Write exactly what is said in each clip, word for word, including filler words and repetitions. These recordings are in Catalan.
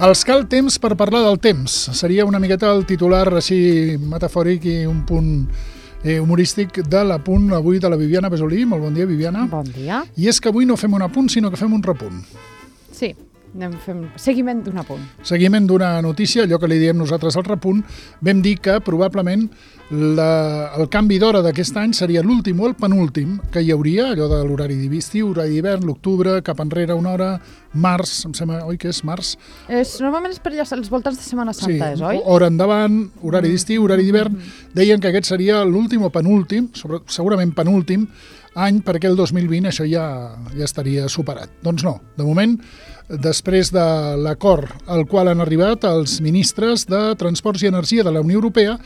Els cal temps per parlar del temps. Seria una miqueta el titular així metafòric i un punt eh, humorístic de l'apunt avui de la Viviana Besolí. Molt bon dia, Viviana. Bon dia. I és que avui no fem un apunt, sinó que fem un repunt. Sí, anem fent seguiment d'un apunt. Seguiment d'una notícia, allò que li diem nosaltres al repunt, vam dir que probablement la, el canvi d'hora d'aquest any seria l'últim o el penúltim que hi hauria, allò de l'horari d'estiu, horari d'hivern, l'octubre, cap enrere una hora, març, em sembla, oi que és març? És, normalment és per allà als voltants de Setmana Santa, sí, és, oi? Hora endavant, horari d'estiu, horari d'hivern. Deien que aquest seria l'últim o penúltim, sobre, segurament penúltim, any, perquè el dos mil vint això ja, ja estaria superat. Doncs no, de moment, després de l'acord al qual han arribat els ministres de Transports i Energia de la Unió Europea,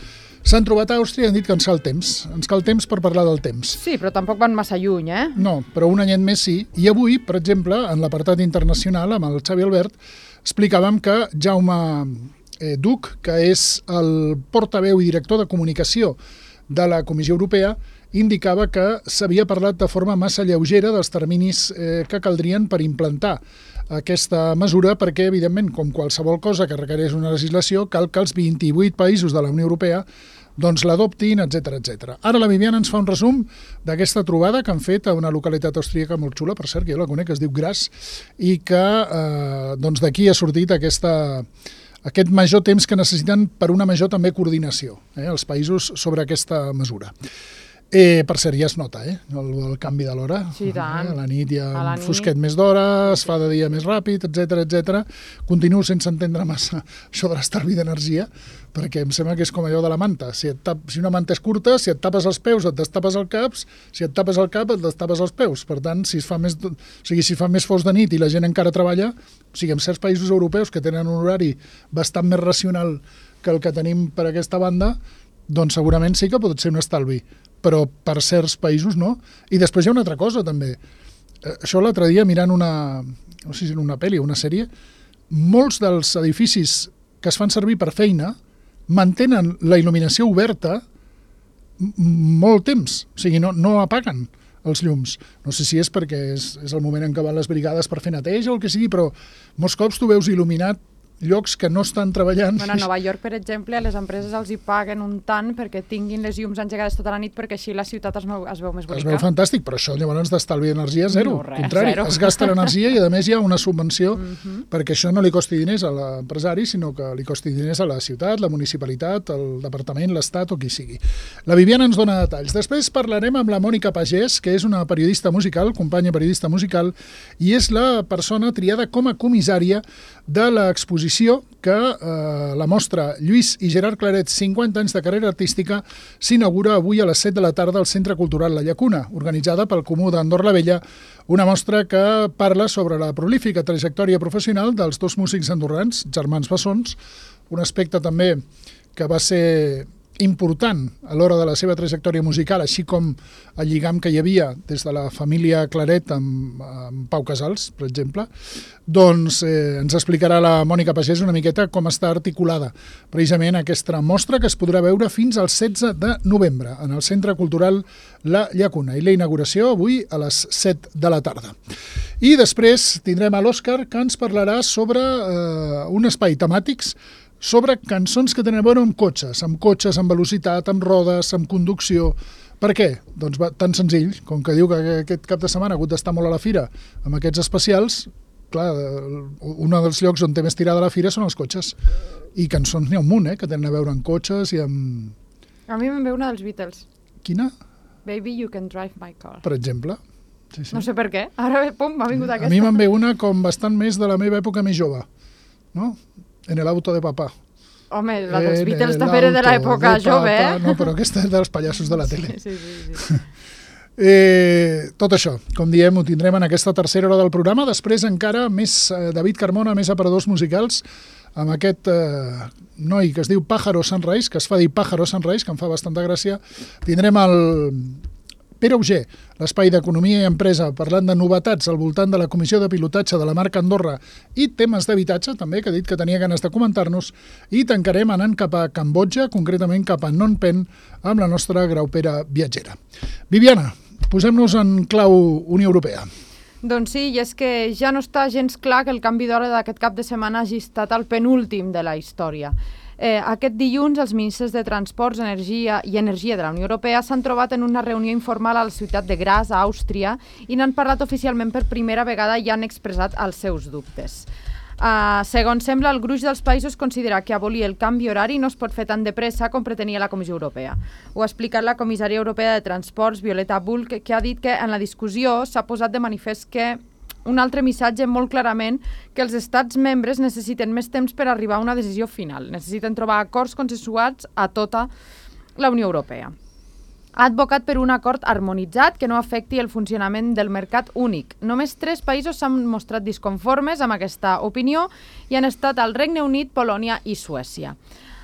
s'han trobat a Àustria i han dit que ens cal temps. Ens cal temps per parlar del temps. Sí, però tampoc van massa lluny, eh? No, però un anyet més sí. I avui, per exemple, en l'apartat internacional, amb el Xavi Albert, explicàvem que Jaume eh, Duch, que és el portaveu i director de comunicació de la Comissió Europea, indicava que s'havia parlat de forma massa lleugera dels terminis eh, que caldrien per implantar aquesta mesura, perquè, evidentment, com qualsevol cosa que requereix una legislació, cal que els vint-i-vuit països de la Unió Europea doncs l'adoptin, etcètera, etcètera. Ara la Viviana ens fa un resum d'aquesta trobada que han fet a una localitat austríaca molt xula, per cert, que jo la conec, que es diu Graz, i que eh, doncs d'aquí ha sortit aquesta, aquest major temps que necessiten per una major també coordinació, eh, els països sobre aquesta mesura. Eh, per cert, ja es nota, eh? El, el canvi de l'hora. Sí, tant. Eh? A la nit hi ha A la un nit. fosquet més d'hora, es fa de dia més ràpid, etcètera, etcètera. Continuo sense entendre massa això de l'estalvi d'energia, perquè em sembla que és com allò de la manta. Si, et tap, si una manta és curta, si et tapes els peus et destapes el cap, si et tapes el cap et destapes els peus. Per tant, si es fa més, o sigui, si fa més fos de nit i la gent encara treballa, o sigui, en certs països europeus que tenen un horari bastant més racional que el que tenim per aquesta banda, doncs segurament sí que pot ser un estalvi, però per certs països no. I després hi ha una altra cosa, també. Eh, això l'altre dia, mirant una, no sé si era una pel·li o una sèrie, molts dels edificis que es fan servir per feina mantenen la il·luminació oberta molt temps, o sigui, no, no apaguen els llums. No sé si és perquè és, és el moment en què van les brigades per fer neteja o el que sigui, però molts cops tu veus il·luminat llocs que no estan treballant. Bueno, a Nova York, per exemple, a les empreses els hi paguen un tant perquè tinguin les llums engegades tota la nit, perquè així la ciutat es, veu, es veu més bonica. Es veu fantàstic, però això llavors d'estalvi d'energia zero. No, res, contrari, zero. es gasta l'energia i a més hi ha una subvenció Uh-huh. perquè això no li costi diners a l'empresari, sinó que li costi diners a la ciutat, la municipalitat, el departament, l'Estat o qui sigui. La Viviana ens dona detalls. Després parlarem amb la Mònica Pagès, que és una periodista musical, companya periodista musical, i és la persona triada com a comissària de l'exposició que eh, la mostra Lluís i Gerard Claret, cinquanta anys de carrera artística, s'inaugura avui a les set de la tarda al Centre Cultural La Llacuna, organitzada pel Comú d'Andorra la Vella, una mostra que parla sobre la prolífica trajectòria professional dels dos músics andorrans, germans bessons, un aspecte també que va ser important a l'hora de la seva trajectòria musical, així com el lligam que hi havia des de la família Claret amb, amb Pau Casals, per exemple, doncs eh, ens explicarà la Mònica Pagès una miqueta com està articulada precisament aquesta mostra, que es podrà veure fins al setze de novembre en el Centre Cultural La Llacuna, i la inauguració avui a les set de la tarda. I després tindrem a l'Òscar, que ens parlarà sobre eh, un espai temàtics sobre cançons que tenen a veure amb cotxes, amb cotxes, amb velocitat, amb rodes, amb conducció. Per què? Doncs va, tan senzill, com que diu que aquest cap de setmana ha hagut d'estar molt a la fira amb aquests especials, clar, un dels llocs on té més tirada la fira són els cotxes. I cançons n'hi ha un munt, eh, que tenen a veure amb cotxes i amb... A mi me'n ve una dels Beatles. Quina? Baby, you can drive my car. Per exemple. Sí, sí. No sé per què. Ara, pum, m'ha vingut aquesta. A mi me'n ve una com bastant més de la meva època més jove, no? En el auto de papà. Home, la dels En Beatles el també era de auto l'època de jove, papà. eh? No, però aquesta és dels pallassos de la tele. Sí, sí, sí. sí. Eh, tot això, com diem, ho tindrem en aquesta tercera hora del programa. Després encara més eh, David Carmona, més aparadors musicals, amb aquest eh, noi que es diu Pájaro Sunrise, que es fa dir Pájaro Sunrise, que em fa bastanta gràcia. Tindrem el Pere Auger, l'espai d'Economia i Empresa, parlant de novetats al voltant de la Comissió de Pilotatge de la marca Andorra i temes d'habitatge, també, que ha dit que tenia ganes de comentar-nos, i tancarem anant cap a Cambodja, concretament cap a Phnom Penh, amb la nostra graupera viatgera. Viviana, posem-nos en clau Unió Europea. Doncs sí, i és que ja no està gens clar que el canvi d'hora d'aquest cap de setmana hagi estat el penúltim de la història. Eh, aquest dilluns, els ministres de Transports, Energia i Energia de la Unió Europea s'han trobat en una reunió informal a la ciutat de Graz, a Àustria, i n'han parlat oficialment per primera vegada i han expressat els seus dubtes. Uh, segons sembla, el gruix dels països considera que abolir el canvi horari no es pot fer tan de pressa com pretenia la Comissió Europea. Ho ha explicat la comissària europea de Transports, Violeta Bulc, que ha dit que en la discussió s'ha posat de manifest que un altre missatge molt clarament que els estats membres necessiten més temps per arribar a una decisió final. Necessiten trobar acords consensuats a tota la Unió Europea. Ha advocat per un acord harmonitzat que no afecti el funcionament del mercat únic. Només tres països s'han mostrat disconformes amb aquesta opinió i han estat el Regne Unit, Polònia i Suècia.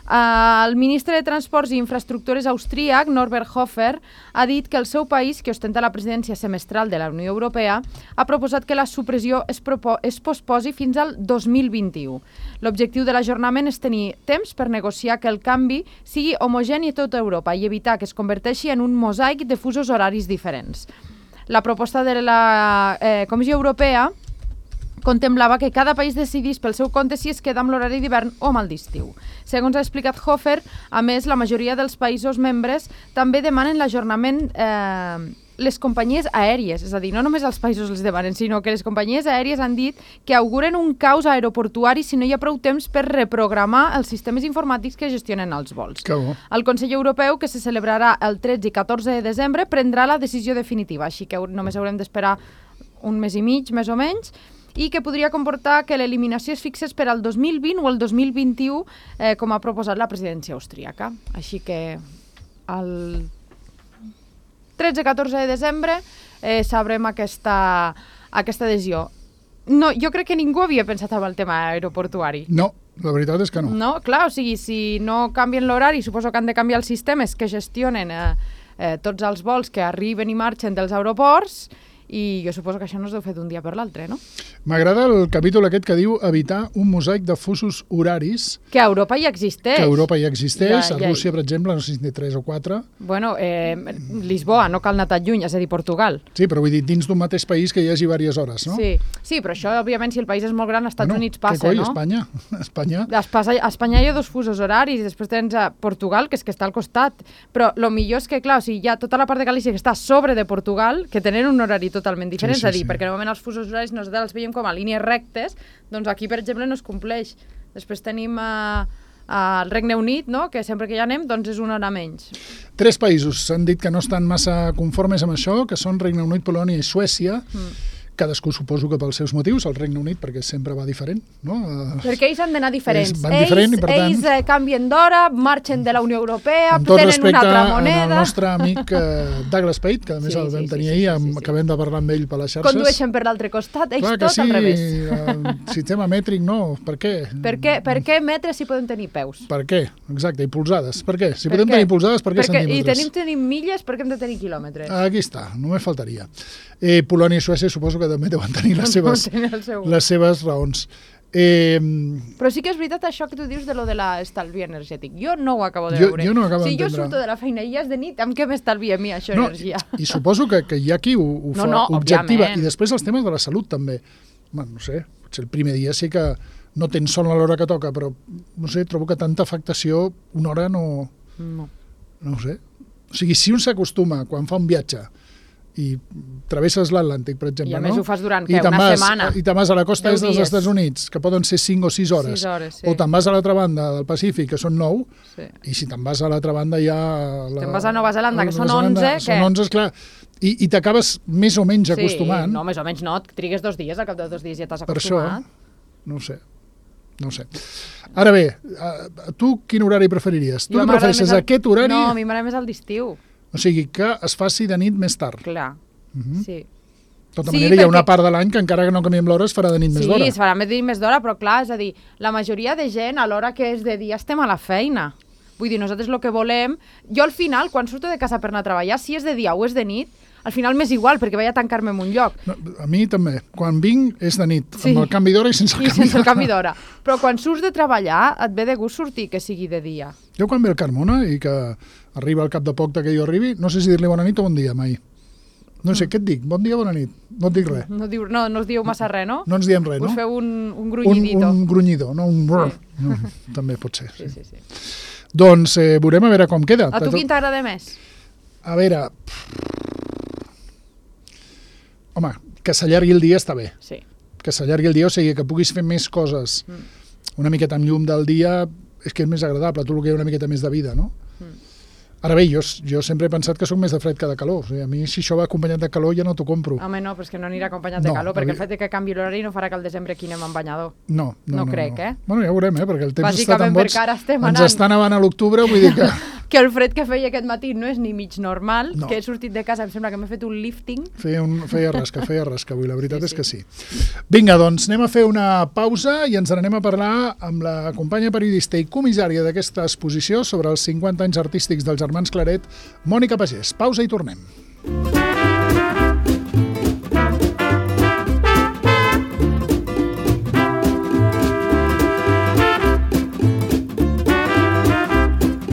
Uh, el ministre de Transports i Infraestructures austríac, Norbert Hofer, ha dit que el seu país, que ostenta la presidència semestral de la Unió Europea, ha proposat que la supressió es, es posposi fins al dos mil vint-i-u. L'objectiu de l'ajornament és tenir temps per negociar que el canvi sigui homogeni a tota Europa i evitar que es converteixi en un mosaic de fusos horaris diferents. La proposta de la eh, Comissió Europea contemplava que cada país decidís pel seu compte si es queda amb l'horari d'hivern o amb el d'estiu. Segons ha explicat Hofer, a més, la majoria dels països membres també demanen l'ajornament eh, les companyies aèries, és a dir, no només els països els demanen, sinó que les companyies aèries han dit que auguren un caos aeroportuari si no hi ha prou temps per reprogramar els sistemes informàtics que gestionen els vols. Que bo. El Consell Europeu, que se celebrarà el tretze i catorze de desembre, prendrà la decisió definitiva, així que només haurem d'esperar un mes i mig, més o menys, i que podria comportar que l'eliminació es fixés per al dos mil vint o el dos mil vint-i-u, eh, com ha proposat la presidència austríaca. Així que el tretze catorze de desembre eh, sabrem aquesta, aquesta decisió. No, jo crec que ningú havia pensat en el tema aeroportuari. No, la veritat és que no. No, clar, o sigui, si no canvien l'horari, suposo que han de canviar els sistemes que gestionen eh, eh, tots els vols que arriben i marxen dels aeroports, i jo suposo que això no es deu fer d'un dia per l'altre, no? M'agrada el capítol aquest que diu evitar un mosaic de fusos horaris. Que a Europa ja existeix. Que a Europa ja existeix. Ja, a ja. Rússia, per exemple, no sé si té tres o quatre. Bueno, eh, Lisboa, no cal anar tan lluny, és a dir, Portugal. Sí, però vull dir, dins d'un mateix país que hi hagi diverses hores, no? Sí, sí, però això, òbviament, si el país és molt gran, als Estats bueno, Units passa, coi, no? Espanya, Espanya. A Espanya, a Espanya hi ha dos fusos horaris, i després tens a Portugal, que és que està al costat. Però el millor és que, clar, o sigui, hi ha tota la part de Galícia que està a sobre de Portugal, que tenen un horari totalment diferent, sí, sí, és a dir, sí. perquè normalment els fusos horaris nosaltres els veiem com a línies rectes, doncs aquí, per exemple, no es compleix. Després tenim uh, uh, el Regne Unit, no?, que sempre que hi anem, doncs és una hora menys. Tres països s'han dit que no estan massa conformes amb això, que són Regne Unit, Polònia i Suècia. Mm. Cadascú suposo que pels seus motius, el Regne Unit perquè sempre va diferent, no? Perquè ells han d'anar diferents. Ells van diferent ells, i per tant... Ells eh, canvien d'hora, marxen de la Unió Europea, amb tot tenen respecte una altra moneda... al nostre amic eh, Douglas Pate, que a més Sí, el vam sí, tenir sí, ahir, sí, amb, sí, sí. acabem de parlar amb ell per les xarxes. Condueixen per l'altre costat, ells Clar que tot sí, al revés. el sistema mètric no, per què? Per què, per què metres si poden tenir peus? Per què? Exacte, i polzades, per què? Si Per podem què? tenir polzades, per què Perquè, I centímetres? tenim, tenim milles, per què hem de tenir quilòmetres? Aquí està, només faltaria. Eh, Polònia i Suècia suposo que també deuen tenir les seves, el seu... les seves raons. Eh, Però sí que és veritat això que tu dius de lo de l'estalvi energètic. Jo no ho acabo de Jo- veure. jo no ho acabo si jo d'entendre. surto de la feina i ja és de nit, amb què m'estalvia a mi això, no, energia? I, I suposo que, que hi ha qui ho, ho No, fa no, objectiva. òbviament. I després els temes de la salut també. Bueno, no sé, potser el primer dia sí que no tens son a l'hora que toca, però no sé, trobo que tanta afectació una hora no... No. No ho sé. O sigui, si un s'acostuma quan fa un viatge i travesses l'Atlàntic, per exemple, I a més no? ho fas durant, I què, te'n una vas, setmana? I te'n vas a la costa Deu est dels dies. Estats Units, que poden ser cinc o sis hores. Sis hores, sí. O te'n vas a l'altra banda del Pacífic, que són nou, Sí. i si te'n vas a l'altra banda ja... La... Te'n vas a Nova Zelanda, que són Nova Zelanda, onze, Són què? onze, esclar. I, i t'acabes més o menys acostumant. Sí, no, més o menys no, et trigues dos dies, al cap de dos dies ja t'has Per això, acostumat. no ho sé. No ho sé. Ara bé, a- tu quin horari preferiries? Tu Jo què m'agrada prefereixes, més el- aquest horari? No, a mi m'agrada més el d'estiu, O sigui, que es faci de nit més tard. clar, Mhm. sí. De tota Sí, manera, hi ha una perquè- part de l'any que encara que no canviem l'hora es farà de nit més Sí, d'hora. es farà més de més d'hora, però clar, és a dir, la majoria de gent a l'hora que és de dia estem a la feina. Vull dir, nosaltres el que volem... Jo al final, quan surto de casa per anar a treballar, si és de dia o és de nit, al final m'és igual, perquè vaig a tancar-me en un lloc. No, a mi també. Quan vinc és de nit, Sí. amb el canvi d'hora i sense el I canvi sense el d'hora. canvi d'hora. Però quan surts de treballar, et ve de gust sortir que sigui de dia. Jo quan ve el Carmona i que arriba al cap de poc de que jo arribi, no sé si dir-li bona nit o bon dia mai. No sé, què et dic? Bon dia, bona nit. No et dic res. No, diu, no, no us dieu massa res, no? No ens diem res, no? Us feu un, un grunyidito. Un, un grunyidor, no? Un brr. Sí. No, també pot ser. Sí, sí, sí. Doncs eh, veurem a veure com queda. A tu quin t'agrada més? A veure... Home, que s'allargui el dia està bé. Sí. Que s'allargui el dia, o sigui, que puguis fer més coses una miqueta amb llum del dia, és que és més agradable, tot el que hi ha una miqueta més de vida, no? Mm. Ara bé, jo, jo sempre he pensat que sóc més de fred que de calor. O sigui, a mi, si això va acompanyat de calor, ja no t'ho compro. Home, no, però és que no anirà acompanyat No, de calor, perquè havia- el fet de que canvi l'horari no farà que al desembre aquí anem amb banyador. No, no, No no. crec, no. eh? Bueno, ja ho veurem, eh? Perquè el temps està Bàsicament tan boig. perquè ara estem Ens anant. està nevant a l'octubre, vull dir que... Que el fred que feia aquest matí no és ni mig normal, No. que he sortit de casa, em sembla que m'he fet un lifting. Feia, un, feia rasca, feia rasca avui, la veritat Sí, és que sí. Vinga, doncs anem a fer una pausa i ens n'anem a parlar amb la companya periodista i comissària d'aquesta exposició sobre els cinquanta anys artístics dels germans Claret, Mònica Pagès. Pausa i tornem.